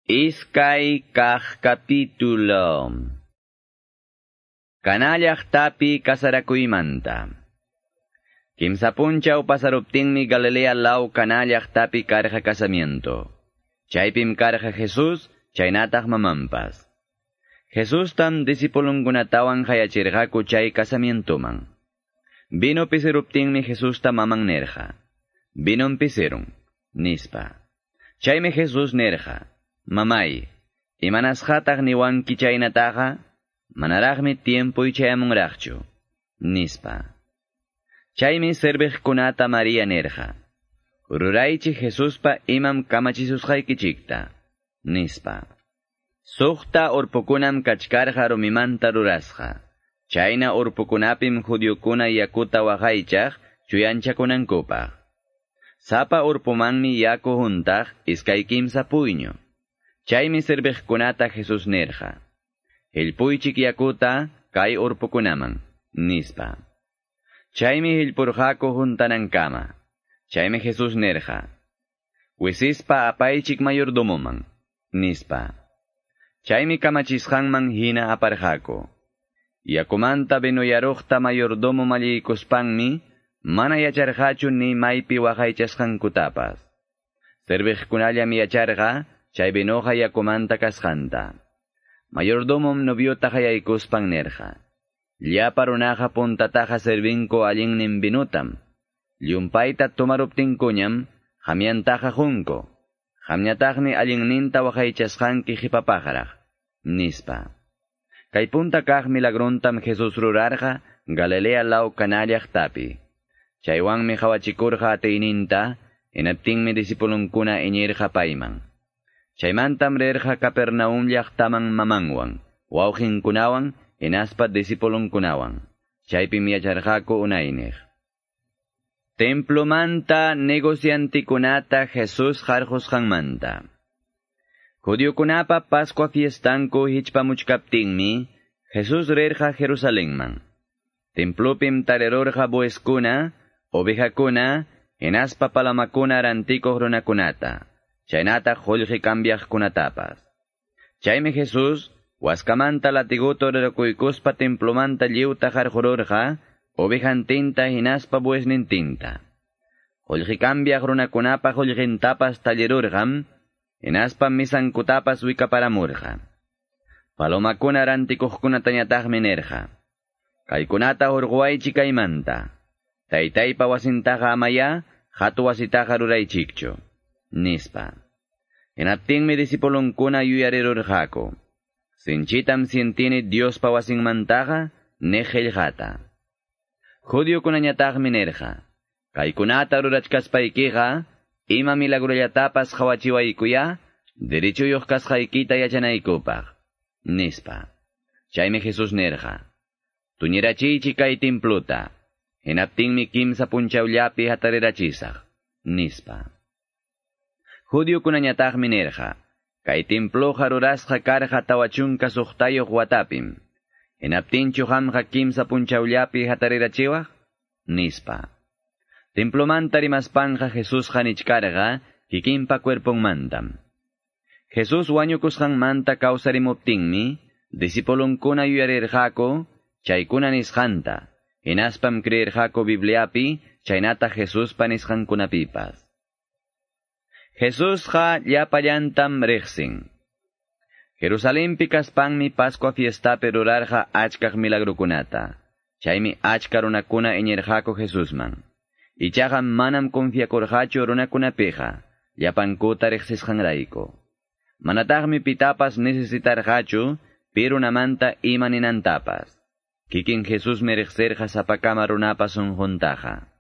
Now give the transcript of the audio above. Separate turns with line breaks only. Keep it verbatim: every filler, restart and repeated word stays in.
Iskay kaq capítulo. Caná llaqtapi kasarakuymanta. Kimsa punchaw pasaruptinmi Galilea law Caná llaqtapi karqa casamiento. Chaypim karqa Jesús, chaynataq mamanpas. Jesustam discipulunkunatawan qayachirqaku chay casamientoman. Vino pisiruptinmi Jesusta maman nerqa. Vinom pisirun, nispa. Chaymi Jesús nerqa. Mamay, imanasqataq niwanki chaynataqa, manaraqmi tiempoy chayamunraqchu, nispa. Chaymi serviqkunata María nerqa. Ruraychik Jesuspa imam kamachisusqaykichikta, nispa. Suqta urpukunam kachkarqa rumimanta rurasqa. Chayna urpukunapim judiokuna yakuta waqaychaq chuyanchakunankupaq. Sapa urpumanmi yaku huntaq iskay kimsa puyñu. Chaymi serviqkunata Jesús nerqa. Hillpuychik yakuta kay urpukunaman, nispa. Chaymi hillpurqaku huntanankama. Chaymi Jesús nerqa. Wisispa apaychik mayordomoman, nispa. Chaymi kamachisqanman hina aparqaku. Yakumanta vinoyaruqta mayordomo malliykuspanmi, mana yacharqachu ni maypi waqaychasqankutapas. Serviqkunallam yacharqa, chay vinoqa yakumanta kasqanta. Mayordomom noviota qayaykuspan nerqa. Llapa runaqa puntataqa servinku allinnin vinutam. Llumpayta tomaruptinkuñam, qamyantaqa qunku. Qamñataqmi allinninta waqaychasqanki qhipapaqraq, nispa. Kay punta kaq milagrontam Jesús rurarqa Galilea law Caná llaqtapi. Chaywanmi qawachikurqa atiyninta, hinaptinmi discipulunkuna iñirqa payman. Chaymantam rirqa Capernaum llaqtaman mamanwan, wawqinkunawan, hinaspa discipulunkunawan. Chaypim yacharqaku unayniq. Templomanta negociantikunata Jesús qarqusqanmanta. Judiokunapa Pascua fiestanku hichpamuchkaptinmi, Jesús rirqa Jerusalenman. Templopim tarirurqa bueskuna, ovejakuna, hinaspa palomakuna rantikuq runakunata. Chaynataq qullqi cambiaqkunatapas. Chaymi Jesús, waskamanta latiguta rurakuykuspa templomanta lliwta qarqururqa, ovejantinta hinaspa buesnintinta. Qullqi cambiaq runakunapa qullqintapas tallirurqam, hinaspa misankutapas wikaparamurqa. Palomakuna rantikuqkunatañataqmi nirqa. Kaykunata hurquwaychik kaymanta. Taytaypa wasintaqa amaya, hatu wasitaqa ruraychikchu, nispa. Hinaptinmi discipulunkuna yuyarirurqaku. Sinchitam sientini Diospa wasinmantaqa niq qillqata. Judiokunañataqmi nirqa. Kaykunata rurachkaspaykiqa, ima milagrollatapas qawachiwaykuya, derechuyuq kasqaykita yachanaykupaq, nispa. Chaymi Jesús nirqa. Tuñirachiychik kay templuta, hinaptinmi kimsa punchawllapi hatarirachisaq, nispa. Judiokunañataqmi nirqa. Kay templuqa rurasqa karqa tawa chunka suqtayuq watapim. Hinaptinchu qamqa kimsa punchawllapi hatarirachiwaq, nispa. Templomanta rimaspanqa Jesusqa nichkarqa kikinpa cuerponmantam. Jesús wañukusqanmanta kawsarimuptinmi, discipulunkuna yuyarirqaku chaykuna nisqanta, hinaspam creerqaku Bibliapi chaynata Jesuspa nisqankunapipas. Jesusqa llapallantam riqsin. Jerusalenpi kaspanmi Pascua fiestapi rurarqa achkaq milagrukunata. Chaymi achka runakuna iñirqaku Jesusman. Ichaqa manam confiakurqachu runakunapiqa, llapankuta riqsisqanrayku. Manataqmi pitapas necesitarqachu pi runamanta ima ninantapas. Kikin Jesusmi riqsirqa sapakama runapa sunquntaqa.